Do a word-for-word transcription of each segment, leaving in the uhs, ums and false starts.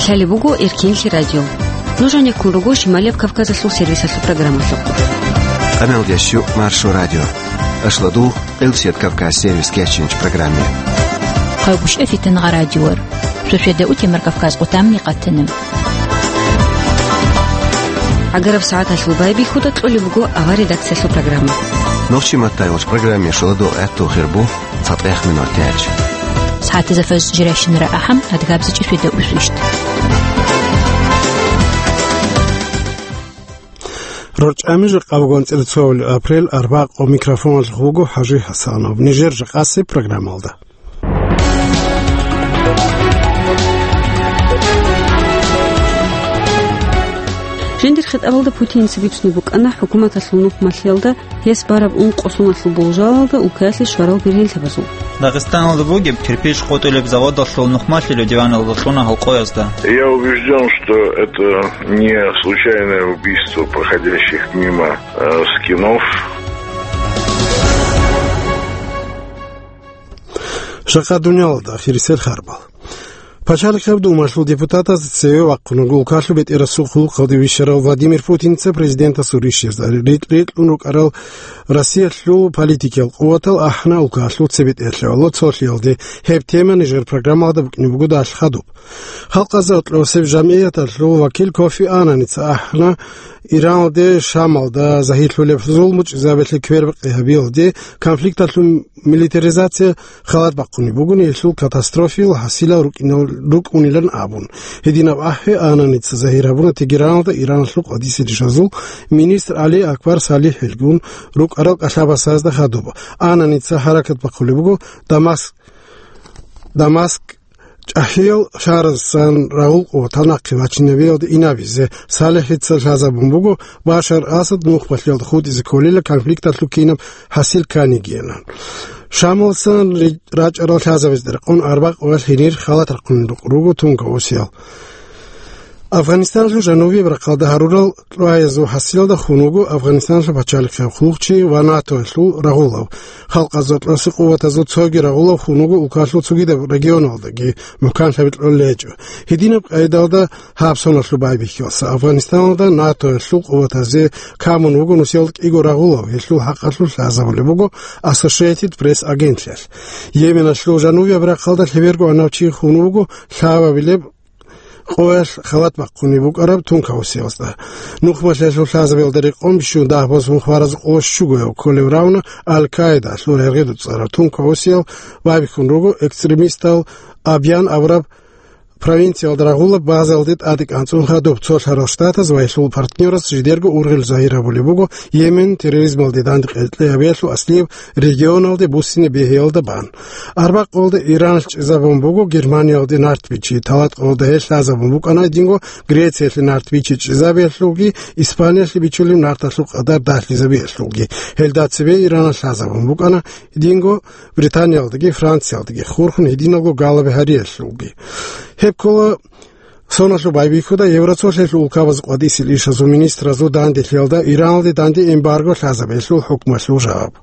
Лъалеб буго Эркенлъи радио. Нуж гьанеккун руго Шималияб Кавказалъул сервисалъул программалъухъ. Къаналдящу Маршо радио. Ашладул Къилсият Кавказ сервис кечинч программе. Хъайбушев Фитангъа радиор. Суседа утемар Кавказ къутамни къатана. Агараб сагӀаталъул байбихьуда кьолеб буго авар редакциялъул программа. Нохчи маттайгъуш программе шуладул гӀаттул хирбу цатӀех минут тяч. СагӀатизафаз жиращинара ахӀам, адгабзичӀи светаусвищ. РорчӀами жакъа бугон цӀерцовал апрель арбакъо микрофоналъ гъуго ХӀажи ХӀасанов. Нижер жакъаси программалда. Жиндир хитӀабалда Путинца бицунеб букӀана хӀукуматалъул нухмалъиялда гьес бараб ункъо соналъул болжалалда улкаялъе щварал бергьенлъабазул. Дагъистаналда бугеб кирпич къотӀулеб заводалъул нухмалъилев диваналда кьуна гьалкъоязда. Я убежден, что это не случайное убийство проходящих мимо, э, скинов. Жакъа дуниялалда ахирисел харбал. Пачалихъаб Думалъул депутатаз цеве вахъун вуго улкалъул бетӀерасул хъулухъалде вищарав Владимир Путинца президентасул ришшизда рикь-рикьун рукӀарал Россиялъул политикиял къуватал ахӀна улкалъул цебетӀерлъавал цолъиялде. Гьеб тема нижер программалда букӀине буго далъ хадуб. Халкъазул кьосеб жамгӀияталъул вакил Кофи Ананица ахӀна Иранде, Шамалда загьирлъулеб зулму чӀезабиялъе квербакъи гьабиялде, конфликталъул милитаризация халат бахъунеб бугони, гьелъул катастрофиял хӀасилал рукӀинал-, рукӀунилан абун. Гьединаб ахӀи Ананица загьир гьабуна Тегераналда Ираналъул къадисел ишазул министр Али Акбар Салихьилгун рукӀарал кӀалъабасазда хадуб. Ананица хӀаракат бахъулеб буго Дамаск, Дамаск чӀахӀиял шагьарасан рагъул къуватал нахъе вачинабиялде инабизе. Салихьица лъазабун буго Башар Асад нухмалъиялда хутӀизе кколила конфликталъул кинаб хӀасил кканигиян. Шамалсан ри-, рачӀарал лъазабазда рекъон арбакъ ва гьенир халат рахъун руго тункаусиял. Афганистаналъул жанубияб рахъалда гьарурал кьваязул хӀасилалда хун вуго Афганистаналъул пачалихъ хъулухъчи ва НАТОялъул рагъулав. Халкъазул кьоси къуватазул цоги рагъулав хун вуго улкалъул цогидаб регионалдаги мухӀканлъаби кьолел гьечӀо. Гьединаб къайдалда гьаб соналъул байбихьалса Афганистаналда НАТОялъул къуватазе камун вуго нусиялда кӀиго рагъулав, гьелъул хӀакъалъулъ лъазабулеб буго Associated Press агентлъиялъ. Йеменалъул жанубияб рахъалда лъеберго гӀанав чи хун вуго лъабабилеб къоялъ халат бахъунеб букӀараб тункаусиялда. Нухмалъиялъул лъазабиялда рекъон бищун дагь босун хваразул къо щугояв кколев равна Аль-Каидаялъул гӀергъи дуцӀараб тункаусиял байбихьун руго экстремистал Абьян абураб провинциялда рагъулаб базалде тӀаде кӀанцӀун хадуб. Цолъарал Штатаз ва гьелъул партнераз жидерго ургъел загьир гьабулеб буго Йемен терроризмалде дандекъи кьей гьабиялъул аслияб регионалде буссине бегьиялда бан. Арбакъ къолда Иранас чӀезабун буго Германиялде нарт бичи, талат къолда гьел лъазабун букӀана динго Грециялъе нарт бичи чӀезабиялъулги, Испаниялъе бичулеб нарталъул къадар дагьлъизабиялъулги. Гьелда цебе Иранас лъазабун букӀана динго Британиялдаги Франциялдаги хурхун гьединалго галаби гьариялъулги. Гьеб ккола соналъул байбихьуда Евроцолъиялъул улкабаз къватӀисел ишазул министразул данделъиялда Иранде данде эмбарго лъазабиялъул хӀукмалъул жаваб.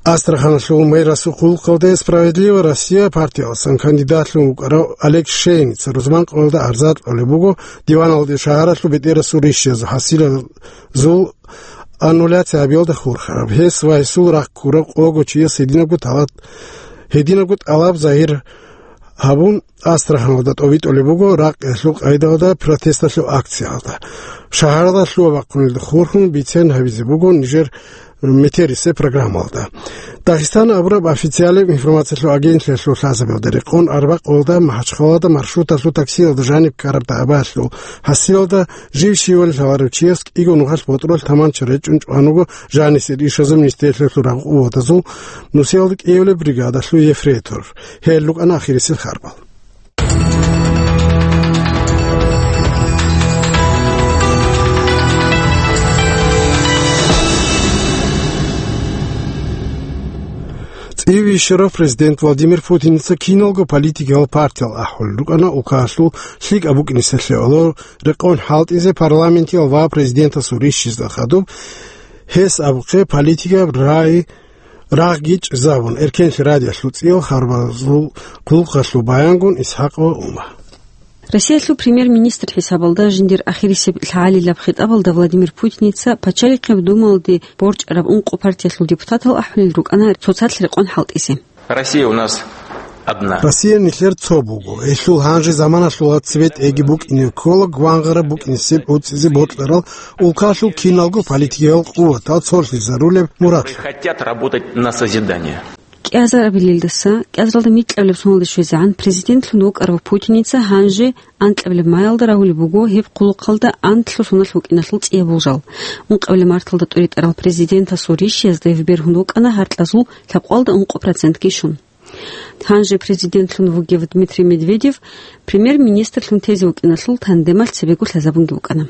Астраханалъул мэрасул хъулухъалде «Справедливая Россия» партияласан кандидатлъун вукӀарав Олег Шейница рузман къоялда арзат кьолеб буго диваналде шагьаралъул бетӀерасул ришшизул хӀасилазул аннуляция гьабиялда хурхараб. Гьес ва гьесул рахъ ккурав къого чияс гьединабго талат-, гьединабго тӀалаб загьир гьабун, Астраханалда тӀобитӀулеб буго ракъиялъул къайдалда протесталъул акциялда. Шагьаралда лъугьа-бахъунилда хурхун бицен гьабизе буго нижер метерисеб программалда. Дагъистан абураб официалаб информациялъул агентлъиялъул лъазабиялда рекъон арбакъ къолда МахӀачхъалада маршруталъул таксиялда жаниб ккараб дагӀбаялъул хӀасилалда жив щивали лъаларев чияс кӀиго нухалъ ботӀролъ таманча речӀчӀун чӀван вуго жанисел ишазул министерствоялъул рагъу-, къуватазул нусиялда кӀиявулеб бригадалъул ефрейтор. Гьел рукӀана ахирисел харбал. ЦӀивищарав президент Владимир Путиница киналго политикиял партиял ахӀулел рукӀана улкалъул лъикӀаб букӀинесалъе гӀоло рекъон хӀалтӀизе парламентиял ва президентасул ришшизда хадуб. Гьес абухъе политикаб рагъ-, рагъги чӀезабун, Эркенлъи радиоялъул цӀиял харбазул хъулухъалъул баянгун ИсхӀакъ ва Ума. Россиялъул премьер-министр хӀисабалда жиндир ахирисеб лъагӀалилаб хитӀабалда Владимир Путиница Пачалихъеб Думалде борчӀараб ункъо партиялъул депутатал ахӀулел рукӀана цоцалъ рекъон хӀалтӀизе. Россия у нас одна. Россия нилъер цо буго. Гьелъул гьанже заманалъула цебетӀеги букӀине ккола гвангъараб букӀинесеб гӀуцӀизе бокьарал улкалъул киналго политикиял къуватал цолъизарулеб мурад. Которые хотят работать на созидание. КӀиазарабилелдаса кӀиазаралда микьабилеб соналде щвезегӀан президентлъун вукӀарав Путиница гьанже анкьабилеб маялда рагьулеб буго гьеб хъулухъалда анлъго соналъ вукӀиналъул цӀияб болжал. Ункъабилеб марталда тӀуритӀарал президентасул ришиязда гьеб бергьун вукӀана гьаркьазул лъабкъоялда ункъо процентги щун. Гьанже президентлъун вугев Дмитрий Медведев премьер-министрлъун тезе вукӀиналъул тандемалъ цебего лъазабунги вукӀана.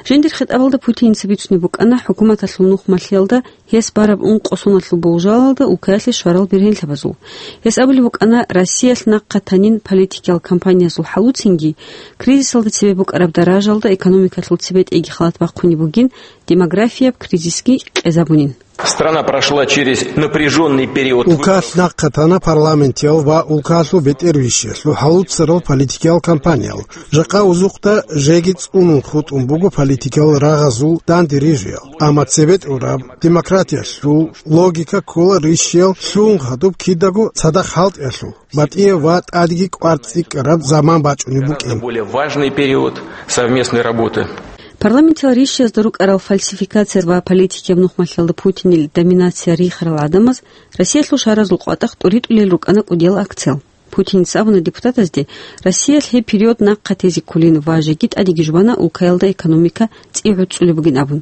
Жиндир хитӀабалда Путиница бицунеб букӀана хӀукуматалъул нухмалъиялда гьес бараб ункъо соналъул болжалалда улкаялъе щварал бергьенлъабазул. Гьес абулеб букӀана, Россиялъ нахъа танин политикиял кампаниязул хӀалуцинги, кризисалда цебе букӀараб даражалда экономикалъул цебетӀеги халат бахъунеб бугин, демографияб кризисги къезабунин. Страна прошла через напряжённый период. Улкалъ нахъа тана парламентиял ва улкалъул бетӀервищиялъул хӀалуцарал политикиял кампаниял. Жакъа узухъда жеги цӀунун хутӀун буго политикиял рагъазул данде рижиял. Амма цебетӀураб демократиялъул логика ккола ришиял лъугьун хадуб кидаго цадахъ хӀалтӀиялъул, батӀияб ва тӀадеги кӀвар цӀикӀкӀараб заман бачӀунеб букӀин. Более важный период совместной работы. Парламентиял ришиязда рукӀарал фальсификация ва политикияб нухмалъиялда Путинил доминация рихарал гӀадамаз Россиялъул шаразул къватӀахъ тӀуритӀулел рукӀана кӀудиял акциял. Путиница абуна депутатазде, Россиялъ гьеб период нахъа тезе кколин ва жеги тӀадеги жубана улкаялда экономика цӀи гӀуцӀулеб бугин абун.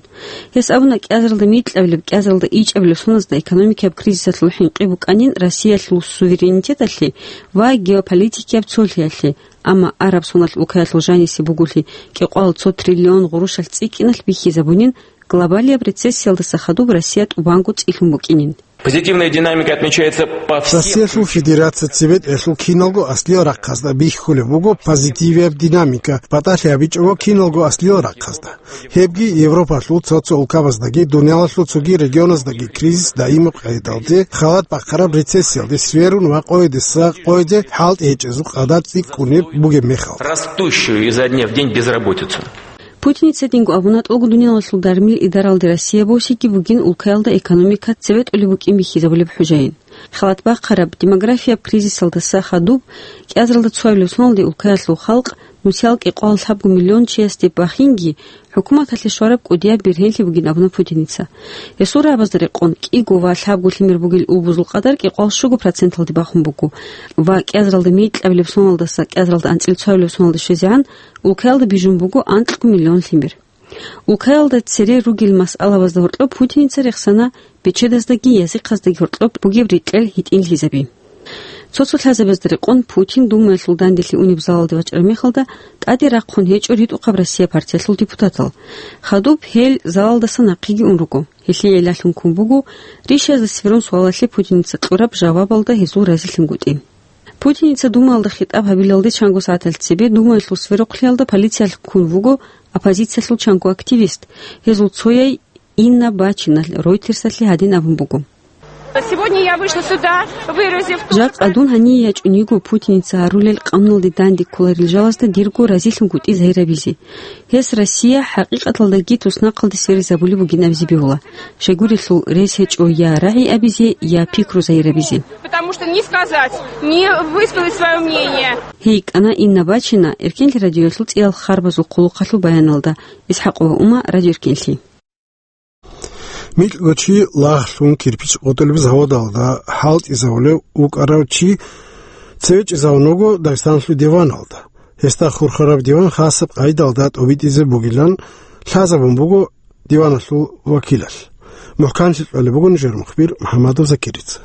Гьес абуна, кӀиазаралда микьабилеб, кӀиазаралда ичӀабилеб соназда экономикияб кризисалъул хӀинкъи букӀанин Россиялъул суверенитеталъе ва геополитикияб цолъиялъе, амма араб соналъ улкаялъул жанисе буголъи кӀикъоялда цо триллион гъурущалъ цӀикӀкӀиналъ бихьизабунин, глобалияб рецессиялдаса хадуб Россия тӀубанго цӀилъун букӀинин. Позитивная динамика отмечается по всем Россиялъул Федерация цебетӀелъул киналго аслиял рахъазда бихьулеб буго позитивияб динамика, батӀалъи гьабичӀого киналго аслиял рахъазда. Гьебги Европалъул цо-цо улкабаздаги, дуниялалъул цоги регионаздаги кризис даимаб къайдалде, халат бахъараб рецессиялде сверун ва къойдаса къойде хӀалтӀи гьечӀезул къадар цӀикӀкӀунеб бугеб мехалъ. Растущую изо дня в день безработицу. Путиница гьединго абуна, тӀолго дуниялалъул дармил идаралде Россия босиги бугин улкаялда экономика цебетӀулеб букӀин бихьизабулеб хӀужаин. Халат бахъараб демографияб кризисалдаса хадуб кӀиазаралда цоабилеб соналде улкаялъул халкъ нусиял кӀикъоялда лъабго миллион чиясде бахинги, хӀукуматалъе щвараб кӀудияб бергьенлъи бугин абуна Путиница. Гьесул рагӀабазда рекъон, кӀиго ва лъабго лъимер бугел убузул къадар кӀикъоялда щуго проценталде бахун буго ва кӀиазаралда микьабилеб соналдаса кӀиазаралда анцӀила цоабилеб соналде щвезегӀан улкаялда бижун буго анкьго миллион лъимер. Улкаялда цере ругел масъалабазда гьоркьоб Путиница рехсана бечедаздаги язихъаздаги гьоркьоб бугеб рекьел гьитӀинлъизаби. Цо-цо лъазабазда рекъон Путин Думаялъул данделъи унеб залалде вачӀараб мехалда тӀаде рахъун гьечӀо ритӀухъаб Россия партиялъул депутатал. Хадуб гьел залалдаса нахъеги ун руго. Гьелъие гӀиллалъун ккун буго ришиязда сверун суалалъе Путиница кьураб жавабалда гьезул разилъунгутӀи. Путиница Думаялда хитӀаб гьабилалде чанго сагӀаталъ цебе Думаялъул сверухълъиялда полициялъ ккун вуго оппозициялъул чанго активист. Гьезул цояй Инна Бачина Ройтерсалъе гьадин абун буго. Сегодня я вышла сюда, выразив то, Жакъа дун гьание ячӀун йиго Путиница гьарулел къануналде данде кколарел жалазда дирго разилъунгутӀи загьирабизе. Гьес Россия хӀакъикъаталдаги туснахъалде сверизабулеб бугин абизе бегьула. Щайгурелъул рес гьечӀо я рагӀи абизе, я пикру загьирабизе. Потому что не сказать, не высказать своё мнение. Гьей кӀана Инна Бачина Эркенлъи радиоялъул цӀиял харбазул хъулухъалъул баяналда. Исхакова Ума, Радио Эркенлъи. МикьгӀочи лагълъун кирпич къотӀулеб заводалда хӀалтӀизавулев вукӀарав чи цевечӀезавун вуго Дагъистаналъул диваналда. Гьесда хурхараб диван хасаб къайдалда тӀобитӀизе бугилан лъазабун буго диваналъул вакилалъ. МухӀканлъи кьолеб буго нижер мухбир МухӀаммадов Закирица.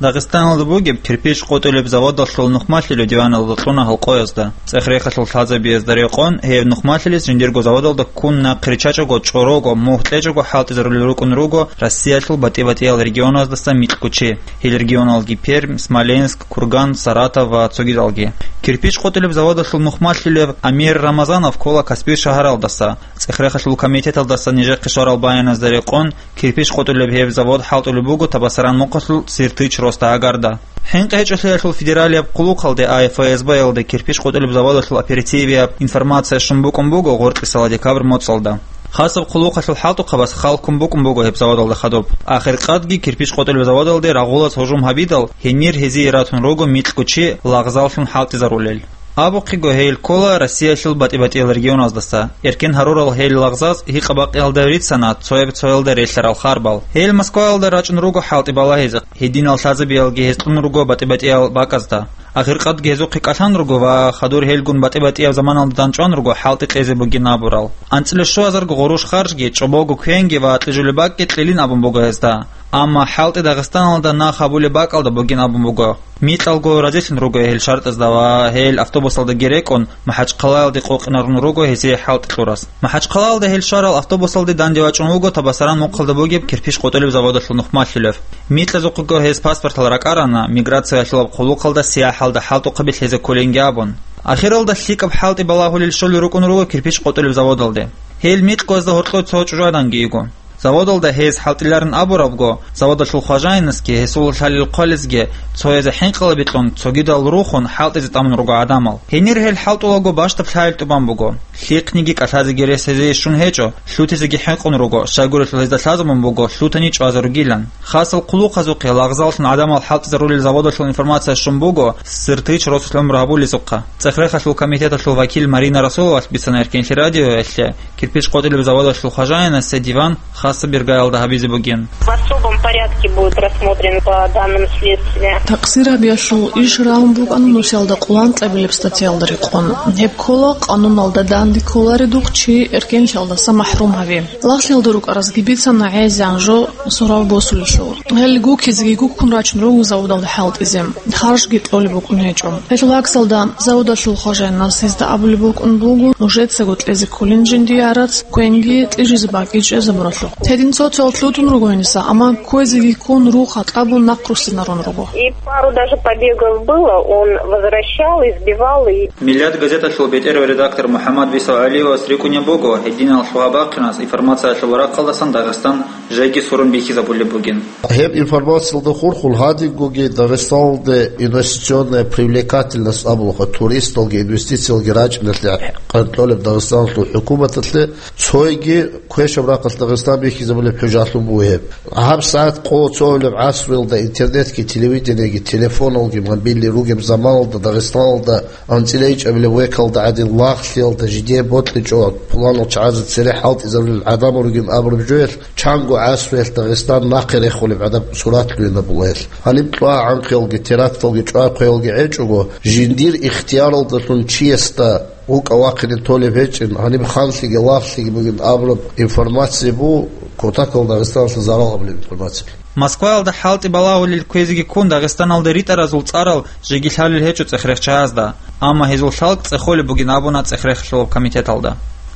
Дагъистаналда бугеб кирпич къотӀулеб заводалъул нухмалъилев диваналда кьуна гьалкъоязда. ЦӀех-рехалъул лъазабиязда рекъон, гьеб нухмалъилес жиндирго заводалда ккун нахъ риччачӀого, чӀорого, мугь кьечӀого хӀалтӀизарулел рукӀун руго Россиялъул батӀи-батӀиял регионаздаса микьгӀочи. Гьел регионалги Пермь, Смоленск, Курган, Саратов ва цогидалги. Кирпич къотӀулеб заводалъул нухмалъилев Амир Рамазанов ккола Каспий шагьаралдаса. ЦӀех-рехалъул комитеталдаса нижехъе щварал баяназда рекъон, кирпич къотӀулеб гьеб завод хӀалтӀулеб буго Табасаран мухъалъул Сиртыч росда гӀагарда. ГӀинкъичӀолъиялъул федералияб хъулухъалде, ФСБ-ялде, кирпич къотӀулеб заводалъул оперативияб информация щун букӀун буго гъоркьисала декабрь моцӀалда. Хасаб хъулухъалъул хӀалтӀухъабаз хал ккун букӀун буго гьеб заводалда хадуб. Ахиркъадги кирпич къотӀулеб заводалде рагъулаз гьужум гьабидал, гьенир гьезие ратун руго микьго чи лагъзаллъун хӀалтӀизарулел. Абухъего, гьел ккола Россиялъул батӀи-батӀиял регионаздаса. Эркен гьарурал гьел лагъзаз гьикъа-бакъиялда рицана цояб-цоялда релълъарал харбал. Гьел Москваялда рачӀун руго хӀалтӀи балагьизе, гьединал лъазабиялги гьез кьун руго батӀи-батӀиял бакӀазда. Ахиркъадги гьезухъе кӀалъан руго ва хадур гьелгун батӀи-батӀияб заманалда дандчӀван руго хӀалтӀи кьезе бугин абурал. АнцӀила щуазарго гъурущ харжги, чӀобого квенги ва кьижулеб бакӀги кьелин абун буго гьезда. Амма хӀалтӀи Дагъистаналда нах гьабулеб бакӀалда бугин абун буго. Микьалго разилъун руго гьел шартӀазда ва гьел автобусалдаги рекӀун, МахӀачхъалаялде къокъинарун руго гьесие хӀалтӀи кьурас. МахӀачхъалаялда гьел щварал автобусалде данде вачӀун вуго Табасаран мухъалда бугеб кирпич къотӀулеб заводалъул нухмалъулев. Микьазухъего гьез паспортал ракӀарана, миграциялъулаб хъулухъалда сияхӀалда хӀалтӀухъаби лъезе кколинги абун. Ахиралда лъикӀаб хӀалтӀи балагьулел щолел рукӀун руго кирпич къотӀулеб заводалде. Гьел микьгоязда гьоркьов цо чӀужугӀаданги йиго. Заводалда гьез хӀалтӀиларин абурабго, заводалъул хважаинасги гьесул лъалел хъвалезги цоязе хӀинкъала бикьун, цогидал рухун хӀалтӀизе тӀамун руго гӀадамал. Гьенир гьел хӀалтӀулаго бащдаб лъагӀел тӀубан буго. Лъихъниги кӀалъазеги рес гьезие щун гьечӀо, лъутизеги хӀинкъун руго, щайгурелъул гьезда лъазабун буго лъутани чӀвазарулилан. Хасал хъулухъазухъе лагъзаллъун гӀадамал хӀалтӀизарулел заводалъул информация щун буго Сыртич росулъ гӀумру гьабулезухъа. ЦӀехрехалъул комитеталъул вакил Марина Расуловалъ бицана Эркенлъи радиоялъе, кирпич къотӀилеб заводалъул хважаинасе диван хасаб иргаялда гьабизе бугин. В особом порядке будет рассмотрен по данным следствия. Такъсир гьабиялъул иш рагьун букӀана нусиялда къулан тӀабилеб статьялда рекъон. Гьеб ккола, къануналда данде кколаредухъ чи эркенлъиялдаса махӀрум гьави. Лагълъиялда рукӀаразги бицана гӀезегӀан жо сурав босулелъул. Гьел гуккизеги гуккун рачун руго заводалда хӀалтӀизе. Харжги кьолеб букӀун гьечӀо. Гьелъул гӀаксалда, заводалъул хважаинас гьезда абулеб букӀун буго нужецаго кьезе кколин жиндие гӀарац, квенги кьижизе бакӀги чӀезабуралъухъ. Гьедин цо-цоял лъутун руго гьениса, амма кквезеги ккун, рух гьакьабун нахъруссинарун руго. И пару даже побегов было, он возвращал, избивал и... Миллат газеталъул бетӀерав редактор МухӀаммад Висав ГӀалиевас рикӀкӀунеб буго гьединал лъугьа-бахъинас информациялъул рахъалдасан Дагъистан жеги сурун бихьизабулеб бугин. Гьеб информациялда хурхун гьадингоги Дагъистаналде инвестиционная привлекательность абулаха, туристалги инвестициялги рачӀиналъе къанкьолеб Дагъистаналъул хӀукуматалъе цойги квешаб рахъалъ Дагъистан бихьизабулеб хӀужалъун буго гьеб. ГьабсагӀат къо цогьулеб гӀасруялда интернетги, телевидениеги, телефоналги мобильный ругеб заманалда Дагъистаналда анцӀила ичӀабилеб векалда гӀадин лагълъиялда жидее бокьичӀо, пуланал чагӀазе цере хӀалтӀизарулел гӀадамал ругин абураб жоялъ, чанго гӀасруялъ Дагъистан нахъе рехулеб гӀадаб сурат лъугьинабула гьелъ. Гьаниб кьвагӀанхъиялги, теракталги, чӀвахъиялги гӀечӀого, жиндир ихтияралдалъун чиясда вукӀа-вахъине толеб гьечӀин, гьаниб ханлъиги лагълъиги бугин абураб информация бу, кутакал Дагъистаналъа зарал гьабулеб информация. Москваялда хӀалтӀи балагьулел кквезеги ккун Дагъистаналда ритӀаразул цӀарал жеги лъалел гьечӀо цӀехрехчагьазда, амма гьезул лъалкӀ цӀехолеб бугин абуна цӀехрехалъулаб комитеталда.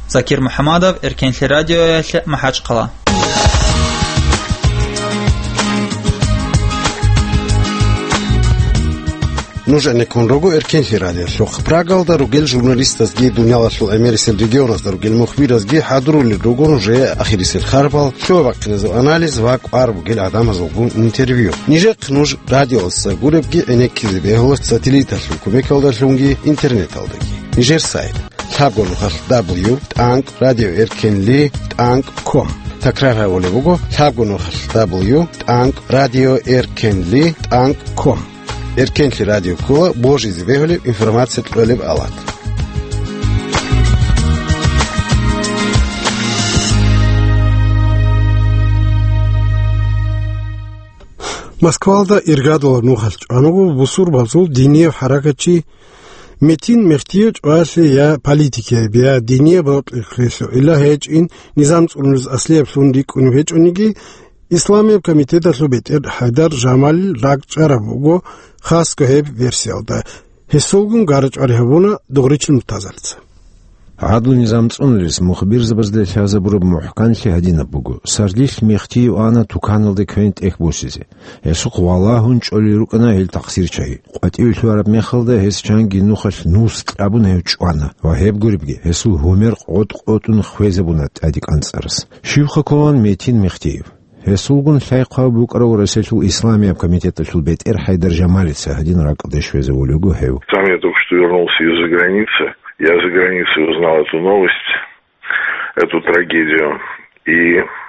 Закир МухӀаммадов, Эркенлъи радиоялъе, МахӀачхъала. Нуж гӀенеккун руго Эркенлъи радиолъухъ. Прагалда ругел журналистазги, дуниялалъул гӀемерисел регионазда ругел мухбиразги хӀадурулел руго нужее ахирисел харбал, лъугьа-бахъиназул анализ ва кӀвар бугел гӀадамазулгун интервью. Нижехъ нуж радиоялдаса гуребги гӀенеккизе бегьула сателлиталъул кумекалдалъунги интернеталдаги. Нижер сайт: лъабго нухалъ дабл ю тӀанкӀ радио эркенли тӀанкӀ ком. Такрар гьабулеб буго: лъабго нухалъ дабл ю тӀанкӀ радио эркенли тӀанкӀ ком. Эркенлъи радио ккола божизе бегьулеб информация кьолеб авлад. Москвалда иргадулаб нухалъ чӀванаго бусурбабазул динияб хӀаракатчи Метин Мехтиев чӀваялъе я политикияб, я динияб рокьи хвелъугӀила гьечӀин низам цӀунулез аслияблъун рикӀкӀунеб гьечӀониги, Исламияб комитеталъул бетӀер ХӀайдар Жамалил ракӀчӀараб буго хасго гьеб версиялда. Гьесулгун гара-чӀвари гьабуна Дугъричил Муртазалица. ГӀадлу-низам цӀунулес мухбирзабазда лъазабураб мухӀканлъи гьадинаб буго: сардилъ Мехтиев ана туканалде квен-тӀех босизе. Гьесухъ валагьун чӀолел рукӀана гьел такъсирчагьи. КъватӀиве лъугьараб мехалда гьес чанги нухалъ нус кьабун гьев чӀвана ва гьеб гуребги гьесул гьумер къотӀ-къотӀун хвезабуна тӀаде кӀанцӀарас. Щибха кколан Метин Мехтиев? Гьесулгун лъай хъван букӀарав Россиялъул исламияб комитеталъул бетӀер ХӀайдар Жамалица гьадин ракӀалде щвезавулев вуго гьев. Сам я только что вернулся из-за границы. Я за границей узнал эту новость, эту трагедию. И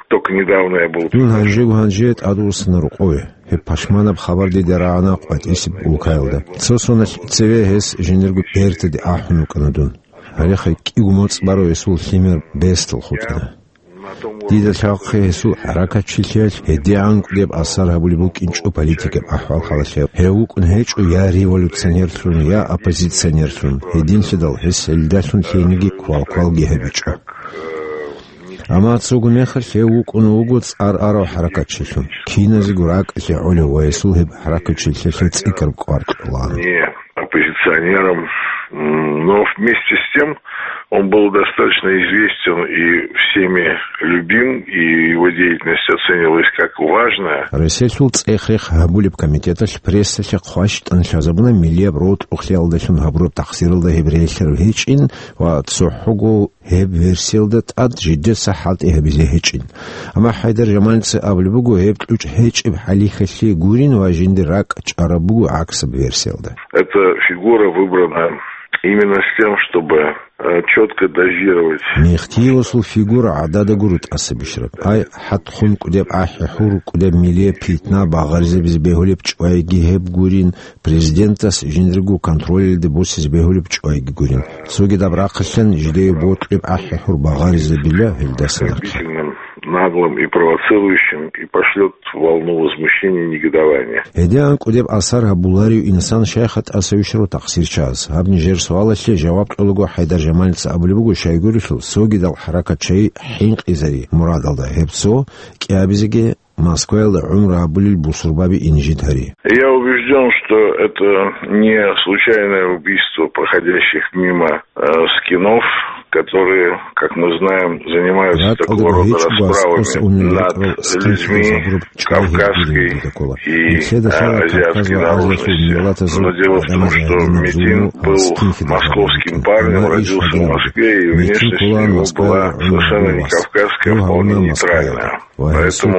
только недавно я был... Дун гьанжего гьанже тӀадвуссана рукъове. Гьеб пашманаб хабар дида рагӀана къватӀисеб улкаялда. Цо соналъ цеве гьес жиндирго бертаде ахӀун вукӀана дун. Гьале хай кӀиго моцӀ барав гьесул лъимер бесдал хутӀана. Дида лъалхъе гьесул хӀаракатчилъиялъ гьедигӀан кӀудеб асар гьабулеб букӀинчӀо политикаб ахӀвал-хӀалалъе. Гьев вукӀун гьечӀо я революционерлъун, я оппозиционерлъун, гьединлъидал гьес гьелдалъун лъениги квалквалги гьабичӀо. Амма цого мехалъ гьев вукӀун вуго цӀар арав хӀаракатчилъун, киназего ракӀалъе гӀолев ва гьесул гьеб хӀаракатчилъиялъе цӀикӀкӀараб кӀвар кьолаан. Не оппозиционером, м, но вместе с тем он был достаточно известен и всеми любим, и его деятельность оценивалась как важная. Россиялъул цӀех-рех гьабулеб комитеталъ прессалъе хъващтӀан лъазабуна миллияб рокьулъиялдалъун гьабураб тахсиралда гьеб релълъарав гьечӀин ва цохӀого гьеб версиялда тӀад жидеца хӀалтӀи гьабизе гьечӀин. Амма ХӀайдар Жамалица абулеб буго, гьеб кьучӀ гьечӀеб хӀалихьалъи гурин ва жиндир ракӀ чӀараб буго гӀаксаб версиялда. Эта фигура выбрана именно с тем, чтобы, э, чётко дозировать. Мехтиевасул фигура гӀададаго рутӀаса бищараб. Ай, хӀатхъун кӀудеб ахӀи-хӀур, кӀудеб миллияб питна багъаризабизе бегьулеб чӀвайги гьеб гурин, президентас жиндирго контролалде босизе бегьулеб чӀвайги гурин. Цогидаб рахъалъан жидее бокьиб ахӀи-хӀур багъаризабила гьелдаса нахъе. Оскорбительным, наглым и провоцирующим, и пошлёт волну возмущения, негодования. ГьедигӀан кӀудеб асар гьабуларев инсан щайха тӀаса вищарав тахсирчияс? Гьаб нижер суалалъе жаваб кьолаго ХӀайдар Жамалица абулеб буго, щайгурелъул цогидал хӀаракатчияй хӀинкъизари мурадалда гьеб цо кӀиабизеги Москваялда гӀумру гьабулел бусурбаби инжит гьари. Я убеждён, что это не случайное убийство проходящих мимо, э, скинов, которые, как мы знаем, занимаются такого рода расправами над людьми кавказской и, э, азиатской наружности. Но дело в том, что Метин был московским парнем, родился в Москве, и внешность у него была совершенно не кавказская, а вполне нейтральная. Поэтому,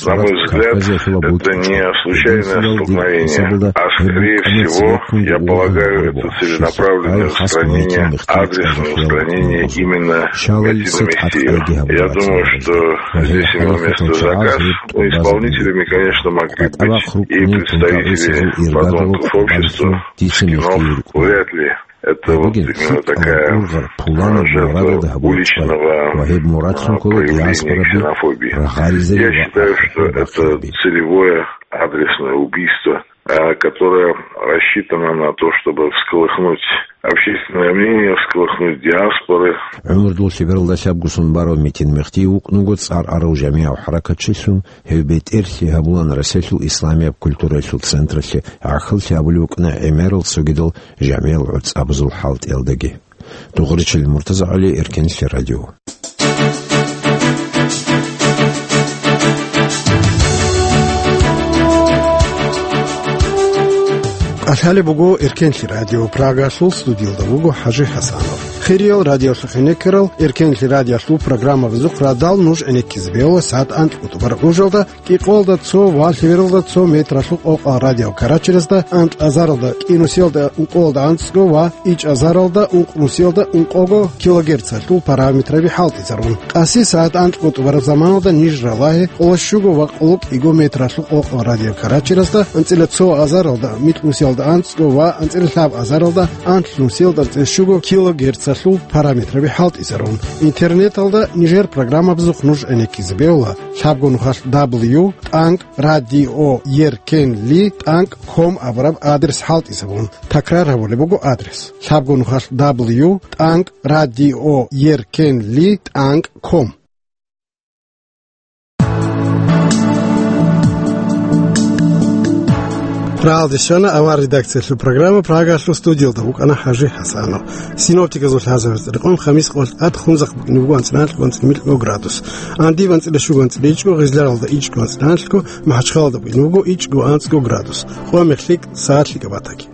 на мой взгляд, это не случайное столкновение, а, скорее всего, я полагаю, это целенаправленное устранение, адресное устранение именно Метина Мехтиева. Я думаю, что здесь имел место заказ. Ну, исполнителями, конечно, могли быть и представители подонков общества, скинов, вряд ли. Это вот именно такая жертва уличного, а, проявления ксенофобии. Я считаю, что это целевое адресное убийство, а, которое рассчитано на то, чтобы всколыхнуть общественное мнение, всколыхнуть диаспоры. ГӀумру лъебералда лъабго сон барав Метин Мехтиев вукӀунаго цӀар арав жамигӀав хӀаракатчилъун, гьев бетӀерлъи гьабулаан Россиялъул исламияб культуралъул централъе, гӀахьаллъи гьабулев вукӀана гӀемерал цогидал жамигӀал гӀуцӀабазул хӀалтӀиялдаги. Дугъричил Муртазагьали, Эркенлъи радио. КӀалъалеб буго Эркенлъи радио, Прагалъул студиялда вуго ХӀажи ХӀасанов. Хириял радиолъухъ гӀенеккарал, Эркенлъи радиолъул программабазухъ радал нуж гӀенеккизе бегьула сагӀат анкьго тӀубараб гӀужалда, кӀикъоялда цо ва лъебералда цо метралъул къокъал радиокарачерезда, анкь азаралда кӀинусиялда ункъоялда анцӀго ва ичӀазаралда ункънусиялда ункъого килогерцалъул параметраби хӀалтӀизарун. Къаси сагӀат анкьго тӀубараб заманалда ниж ралагье къоло щуго ва къоло кӀиго метралъул къокъал радиокарачерезда, анцӀила цо азаралда микьнусиялда анцӀго ва анцӀила лъаб азаралда анлънусиялда анцӀила щуго килогерцалъул параметраби хӀалтӀизарун. Интернеталда нижер программабазухъ нуж гӀенеккизе бегьула лъабго нухалъ дабл ю тӀанкӀ радио еркенли тӀанкӀ ком абураб адрес хӀалтӀизабун. Такрар гьабулеб буго адрес: лъабго нухалъ дабл ю тӀанкӀ радио еркенли тӀанкӀ ком. Рагьалде щвана авар редакциялъул программа, Прагалъул студиялда вукӀана ХӀажи ХӀасанов. Синоптиказул лъазабаз рекъон хамис къолъ тӀад хунзахъ букӀине буго анцӀила анлъго, анцӀила микьго градус. Анди анцӀила щуго, анцӀила ичӀго, Гъизларалда ичӀго, анцӀила анлъго, МахӀачхъалалда букӀине буго ичӀго, анцӀго градус. Къоя мехлъи сагӀатлъи кабатаги.